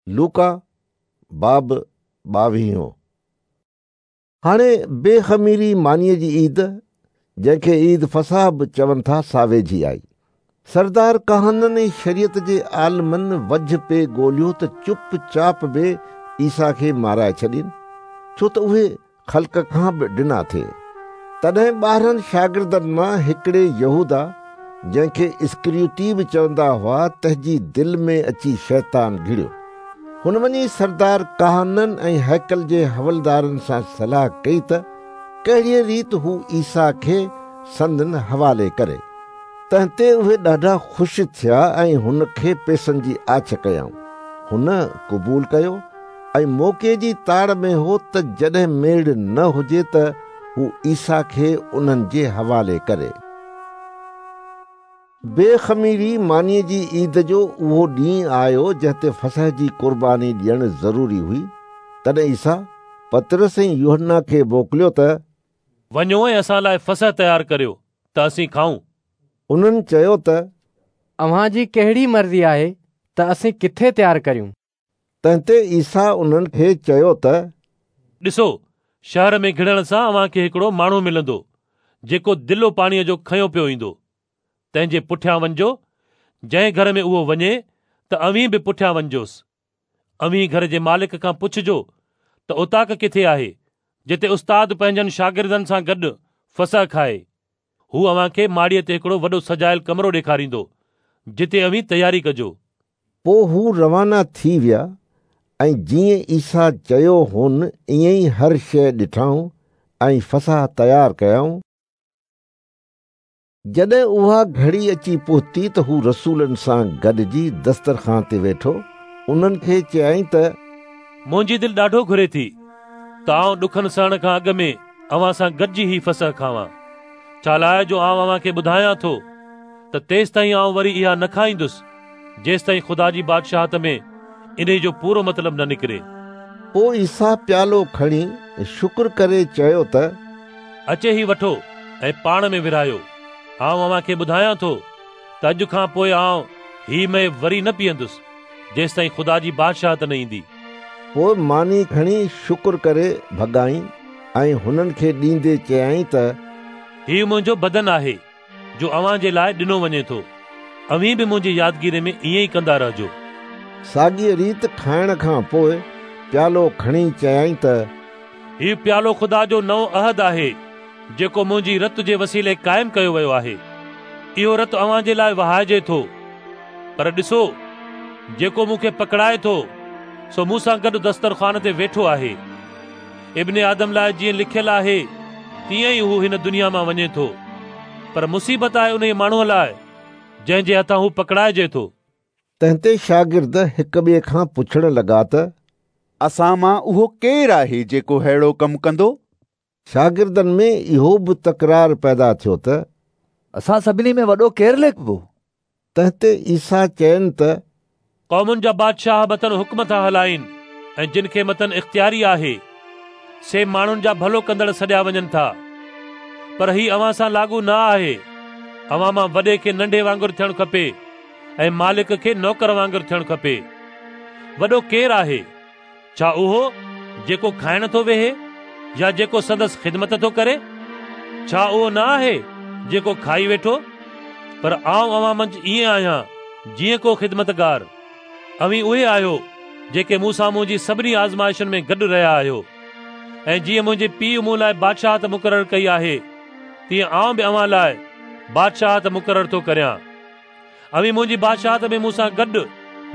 لوڪا باب ٻاويهون. هاڻي بي خميري مانيء جي عيد، جنهن کي عيد فصح به چون ٿا، سا ويجهي آئي. سردار ڪاهنن ۽ شريعت جي عالمن وجهه پئي ڳوليو ته چپ چاپ به عيسيٰ کي مارائي ڇڏين، ڇو ته اهي خلق کان به ڊنا ٿي. تڏهن 12 شاگردن مان هڪڙي يهوداه، جنهن کي اسڪريوتي به چوندا هئا، تنهن جي دل ۾ اچي شيطان گهڙيو. هن وڃي سردار ڪاهنن ۽ هيڪل جي حولدارن سان صلاح ڪئي ته ڪهڙيء ريت هو عيسيٰ کي سندن حوالي ڪري. تنهن تي اهي ڏاڍا خوش ٿيا ۽ هن کي پئسن جي آڇ ڪيائون. هن قبول ڪيو ۽ موقعي جي تاڙ ۾ هو ته جڏهن ميڙ نه هجي ته هو عيسيٰ کي انهن جي حوالي ڪري. بي خميري مانيء جي عيد جو اهو ڏينهن آيو جنهن تي فصح جي قرباني ڏيڻ ضروري هئي. تڏهن عيسيٰ پطرس ۽ يوحنا کي موڪليو ته. وڃو ۽ اسان لاء فصح تيار ڪريو ته اسين کائون. انهن چيو ته. اوهان جي ڪهڙي مرضي آهي ته اسين ڪٿي تيار ڪريون؟ تنهن تي عيسيٰ انهن کي چيو ته. ڏسو، شهر ۾ گهڙڻ سان اوهان کي هڪڙو ماڻهو ملندو، جيڪو دلو پاڻيء جو کنيو پيو ايندو. تنهن جي پٺيان وڃجو. جنهن گهر ۾ اهو وڃي ته اوهين به پٺيان وڃجوس. اوهين گهر جي مالڪ کان پڇجو ته اوطاق ڪٿي آهي، جتي استاد پنهنجن شاگردن سان گڏ فصح کائي. هو اوهان کي ماڙيء تي هڪڙو وڏو سجايل ڪمرو ڏيکاريندو، جتي اوهين تياري ڪجو. پوء هو روانا ٿي ويا ۽ جيئن عيسيٰ چيو هون ائين ئي هر شيء ڏٺائون ۽ فصح تيار ڪيائون. جڏهن اها گهڙي اچي پهتي ته هو رسولن سان گڏجي دسترخوان تي ويٺو. انهن کي چيائين ته. منهنجي دل ڏاڍو گهري ٿي ته آئون ڏکن سهڻ کان اڳ ۾ اوهان سان گڏجي هي فصح کاوان، ڇالاء جو آئون اوهان کي ٻڌايان ٿو ته تيستائين آئون وري اها نه کائيندس، جيستائين خدا جي بادشاهت ۾ انهي جو پورو مطلب نه نڪري. پوء عيسيٰ پيالو کڻي شڪر ڪري چيو ته. اچي هي وٺو ۽ پاڻ ۾ ورهايو. آئون اوهان کي ٻڌايان ٿو ته اڄ کان پوء آئون هي مئي وري نه پيئندس، جيستائين خدا جي بادشاهت نه ايندي. پوء ماني کڻي شڪر ڪري ڀڳائين ۽ هنن کي ڏيندي چيائين ته. هي منهنجو بدن آهي، جو اوهان جي لاء ڏنو وڃي ٿو. اوهين به منهنجي يادگيري ۾ ائين ئي ڪندا رهجو. ساڳيء ريت کائڻ کان پوء پيالو کڻي چيائين ته. هي پيالو خدا جو نئون عهد آهي، جيڪو منهنجي رت جي وسيلي قائم ڪيو ويو آهي. اهو رت اوهان جي لاء وهائجي ٿو. پر ڏسو، جيڪو مون کي پڪڙائي ٿو، سو مون سان گڏ دسترخوان تي ويٺو آهي. ابن آدم لاء جيئن لکيل آهي، تيئن ئي هو هن دنيا مان وڃي ٿو. پر مصيبت آهي انهيء ماڻهوء لاء، جنهن جي هٿان هو پڪڙائجي ٿو. تنهن تي شاگرد هڪ ٻئي کان پڇڻ لڳا ته. اسان مان اهو ڪير آهي جيڪو ههڙو ڪم ڪندو؟ شاگردن ۾ اهو به تڪرار پيدا ٿيو ته. اسان سڀني ۾ وڏو ڪير ليکبو؟ تنهن تي عيسيٰ چين ته. قومن جا بادشاهه مٿن حڪم ٿا هلائين ۽ جن کي مٿن اختياري آهي، سي ماڻهن جا ڀلو ڪندڙ سڏيا وڃن ٿا. پر هي اوهان سان لاڳو نه آهي. اوهان مان وڏي کي ننڍي وانگر ٿيڻ کپي ۽ مالڪ کي نوڪر وانگر ٿيڻ کپي. وڏو ڪير آهي؟ ڇا اهو جيڪو کائڻ ٿو ويهي يا جيڪو سندس خدمت ٿو ڪري؟ ڇا اهو نه آهي جيڪو کائي ويٺو؟ پر آئون اوهان منجهه ائين آهيان جيئن ڪو خدمتگار. اوهين اهي آهيو جيڪي مون سان منهنجي سڀني آزمائشن ۾ گڏ رهيا آهيو ۽ جيئن منهنجي پيء مون لاء بادشاهت مقرر ڪئي آهي تيئن آئون به اوهان لاء بادشاهت مقرر ٿو ڪريان. اوهين منهنجي بادشاهت ۾ مون سان گڏ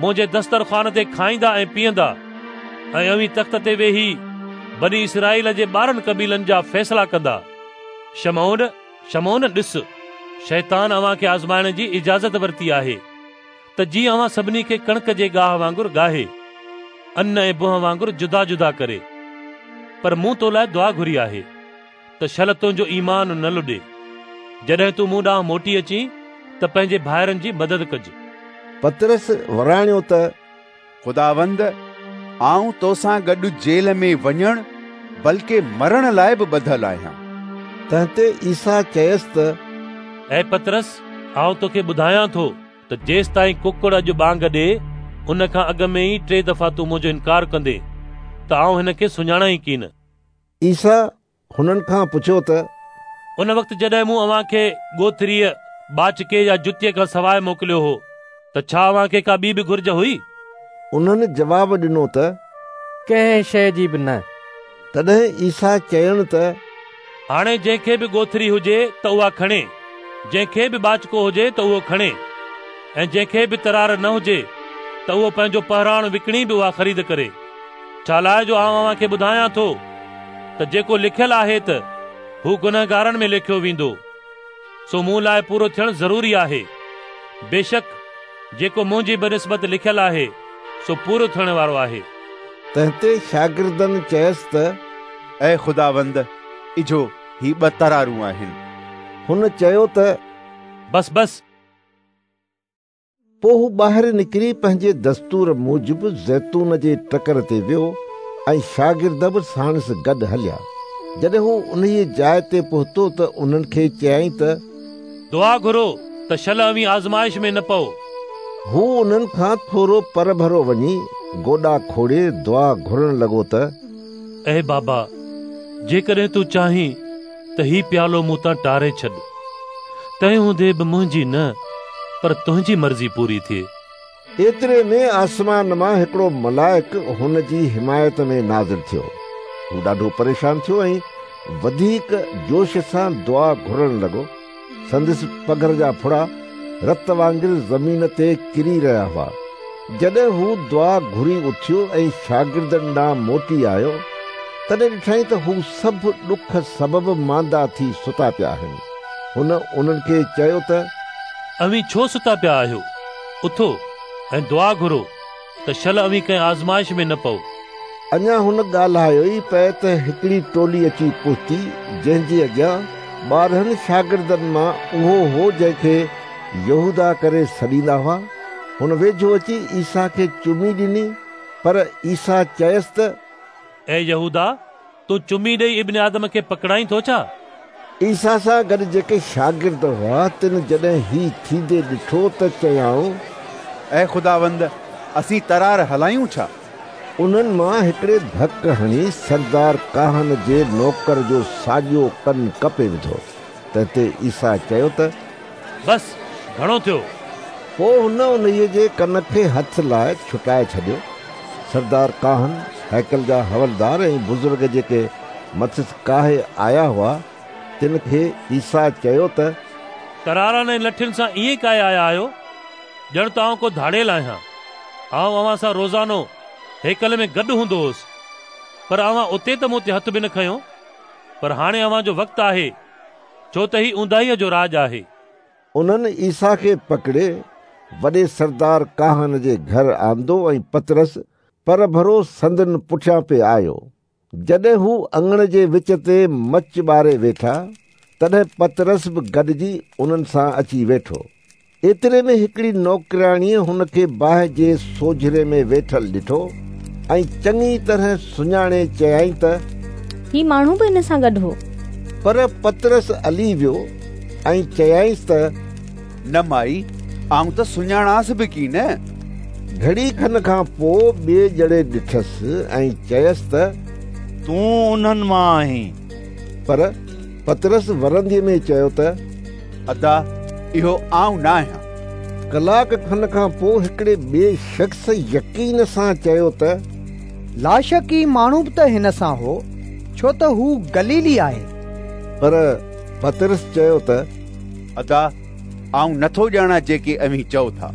منهنجي دسترخوان تي کائيندا ۽ پيئندا ۽ اوهين تخت تي ويهي بني اسرائيل جي 12 قبيلن جا فيصلا ڪندا. شمعون، شمعون، ڏس، شيطان اوهان کي آزمائڻ جي اجازت ورتي آهي ته جيئن اوهان سڀني کي ڪڻڪ جي ڳاهه وانگر ڳاهي، ان ۽ بهه وانگر جدا جدا ڪري. پر مون تو لاء دعا گهري آهي. ته شل تنهنجو ايمان نه لڏي. جڏهن تون مون ڏانهن موٽي اچين ته پنهنجي ڀائرن جي مدد ڪج. پطرس وراڻيو ته. خداوند، آئون توسان گڏ جيل ۾ وڃڻ بلڪه مرڻ لاء به ٻڌل آهيان. تنهن تي عيسيٰ چيس ته. اي پطرس، آئون توکي ٻڌايان ٿو ته جيستائين ڪڪڙ اڄ ٻانگ ڏئي، ان کان اڳ ۾ ئي ٽي دفعا تون منهنجو انڪار ڪندين ته آئون هن کي سڃاڻان ئي ڪين. عيسيٰ هنن کان پڇيو ته ان وقت جڏهن مون اوهان کي ڳوٿريء، ٻاچڪي يا جتيء کان سواء موڪليو هو ته ڇا اوهان کي ڪا ٻي به گهرج هئي؟ انهن جواب ڏنو ته ڪنهن شيء جي به نه. تڏهن عيسيٰ چين ته هاڻي جنهن کي به ڳوٿري هجي ته اها کڻي، جنهن کي به ٻاچڪو هجي ته اهو کڻي، ۽ جنهن کي به ترار نه هجي ته اهو پنهنجو پهراڻ وڪڻي به اها خريد ڪري. ڇالاء جو آئون اوهان کي ٻڌايان ٿو ته جيڪو لکيل آهي ته هو گنهگارن ۾ ليکيو ويندو، سو مون لاء پورو ٿيڻ ضروري آهي. بيشڪ جيڪو منهنجي بنسبت لکيل آهي، سو پورو ٿيڻ وارو آهي. تنهن تي شاگردن چيس ته اي خداوند، اجهو هي ٻه ترارون آهن. هن چيو ته بس بس. پوء هو ٻاهر نڪري پنهنجي دستور موجب زيتون جي ٽڪر تي ويو ۽ شاگرد به ساڻس گڏ هليا. جڏهن هو انهيء جاء تي پهتو ته انهن کي چيائين ته دعا گهرو ته شل اوهين آزمائش ۾ نه پئو. هو انهن کان ٿورو پرڀرو وڃي گوڏا کوڙي دعا گهرڻ لڳو ته اي بابا، جيڪڏهن تون چاهين ته هي پيالو مون تان ٽاري ڇڏ. تنهن هوندي به منهنجي نه پر تنهنجي مرضي پوري ٿئي. ايتري ۾ آسمان مان هڪڙو ملائڪ هن جي حمايت ۾ نازل ٿيو. هو ڏاڍو پريشان ٿيو ۽ وڌيڪ جوش سان دعا گهرڻ لڳو. سندس پگهر جا ڦڙا رت وانگر زمين تي ڪري رهيا هئا. جڏهن هو دعا گهري اٿيو ۽ شاگردن ڏانهن موٽي آيو، تڏهن ڏٺائين ته هو سڀ ڏک سبب ماندا ٿي ستا پيا آهن. هن انهن کي چيو ته. اوهين ڇو ستا پيا آهيو؟ اٿو ۽ دعا گهرو ته شل اوهين ڪنهن آزمائش ۾ نه پئو. اڃا هن ڳالهايو ئي پئي ته هڪڙي ٽولي اچي پهتي، جنهن جي اڳيان 12 شاگردن مان اهو هو جنهن کي يهوداه ڪري سڏيندا هئا. هن ويجهو اچي عيسيٰ کي چمي ڏني، پر عيسيٰ چيس ته. اي يهوداه، تون چمي ڏيئي ابن آدم کي پڪڙائين ٿو ڇا؟ عيسيٰ سان گڏ جيڪي شاگرد هئا، تن جڏهن هي ٿيندي ڏٺو ته چيائون. اي خداوند، اسين ترار هلايون ڇا؟ انهن مان هڪڙي ڌڪ هڻي سردار ڪاهن جي نوڪر جو ساڄو ڪن ڪپي وڌو. تنهن تي عيسيٰ چيو ته. بس، گهڻو ٿيو. پوء هن انهيء جي ڪن کي هٿ لائي ڇٽائي ڇڏيو. سردار ڪاهن، هيڪل جا حولدار ۽ بزرگ جيڪي مٿس ڪاهي آيا هئا، تن کي عيسيٰ چيو ته. ترارن ۽ لٺين سان ائين ڪاهي آيا آهيو، ڄڻ ته آئون ڪو ڌاڙيل آهيان. آئون اوهان سان روزانو هيڪل ۾ گڏ هوندو هوس، پر اوهان اتي ته مون تي هٿ به نه کنيو. پر هاڻي اوهان جو وقت آهي، ڇو ته هي اونداهيء جو راڄ آهي. انهن عيسيٰ کي پڪڙي وڏي سردار ڪاهن جي گهر آندو ۽ پطرس پرڀرو سندن پٺيان پئي آيو. جڏهن هو اڱڻ جي وچ تي مچ ٻاري ويٺا، تڏهن پطرس به گڏجي انهن سان اچي ويٺو. ايتري ۾ هڪڙي نوڪرياڻيء هن کي باهه جي سوجهري ۾ ويٺل ڏٺو ۽ چڱي طرح سڃاڻي چيائين ته. هي ماڻهو به هن سان گڏ هو. پر پطرس الي ويو ۽ چيائينس ته. نه مائي، آئون ته سڃاڻانس به ڪين. گهڙي کن کان پوء ٻئي ڄڻي ڏٺس ۽ چيس ته. تون انهن مان آهين. پر پطرس ورنديء ۾ چيو ته. ادا، اهو آئون نه آهيان. ڪلاڪ کن کان پوء هڪڙي ٻئي شخص يقين سان چيو ته. لاشڪ هي ماڻهو به ته هن سان هو، ڇو ته هو گليلي آهي. پر پطرس چيو ته. ادا، آئون نٿو ڄاڻان جيڪي اوهين چئو ٿا.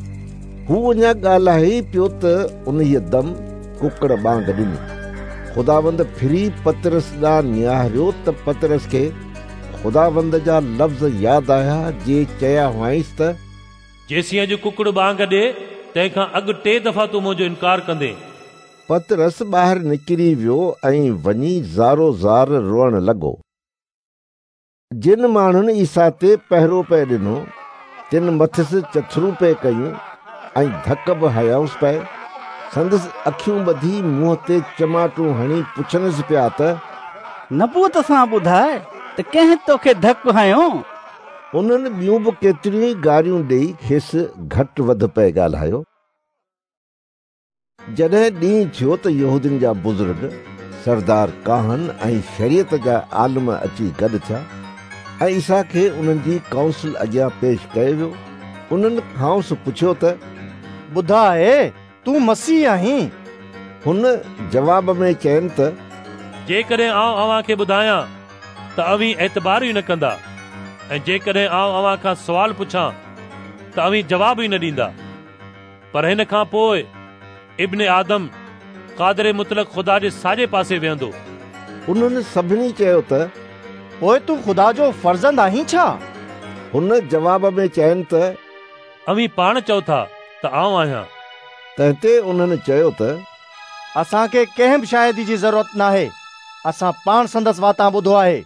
هو اڃا ڳالهائي ئي پيو ته انهيء دم ڪڪڙ ٻانگ ڏني. خداوند ڦري پطرس ڏانهن نهاريو ته پطرس کي خداوند جا لفظ ياد آيا جي چيا هئائينس ته. جيسين اڄ ڪڪڙ ٻانگ ڏي، تنهن کان اڳ ٽي دفعا تون منهنجو انڪار ڪندين. پطرس ٻاهر نڪري ويو ۽ وڃي زارو زار روئڻ لڳو. جن ماڻهن عيسيٰ تي پهرو پئي ڏنو، تن مٿس چٿرون پئي ڪيون ۽ ڌڪ به هنيائونس پئي. سندس اکيون ٻڌي منهن تي چماٽون هڻي پڇنس پيا ته. نبوت سان ٻڌاء ته ڪنهن توکي ڌڪ هنيو؟ انهن ٻيون به ڪيتريون ئي گاريون ڏيئي کيس گهٽ وڌ پئي ڳالهايو. جڏهن ڏينهن ٿيو ته يهودين جا بزرگ، سردار ڪاهن ۽ شريعت جا عالم اچي گڏ ٿيا ۽ عيسيٰ کي انهن جي ڪائونسل اڳيان پيش ڪيو ويو. انهن کانئس پڇيو ته ٻڌاء، تون مسيح آهين؟ هن جواب ۾ چين ته جيڪڏهن آئون اوهان کي ٻڌايان ته اوهين اعتبار ئي نه ڪندا ۽ جيڪڏهن آئون اوهان کان سوال پڇان ته اوهين جواب ئي نه ڏيندا. پر هن کان پوء ابن آدم قادر مطلق خدا جي ساڄي پاسي ويهندو. انهن سڀني چيو ته پوء تون خدا جو فرزند آهين ڇا؟ هن جواب ۾ چين ته اوهين پاڻ چئو ٿا ته آئون آهيان. تنهن تي انهن چيو ته اسان کي ڪنهن به شاهدي جي ضرورت ناهي، اسان پاڻ سندس واتان ٻڌو آهي.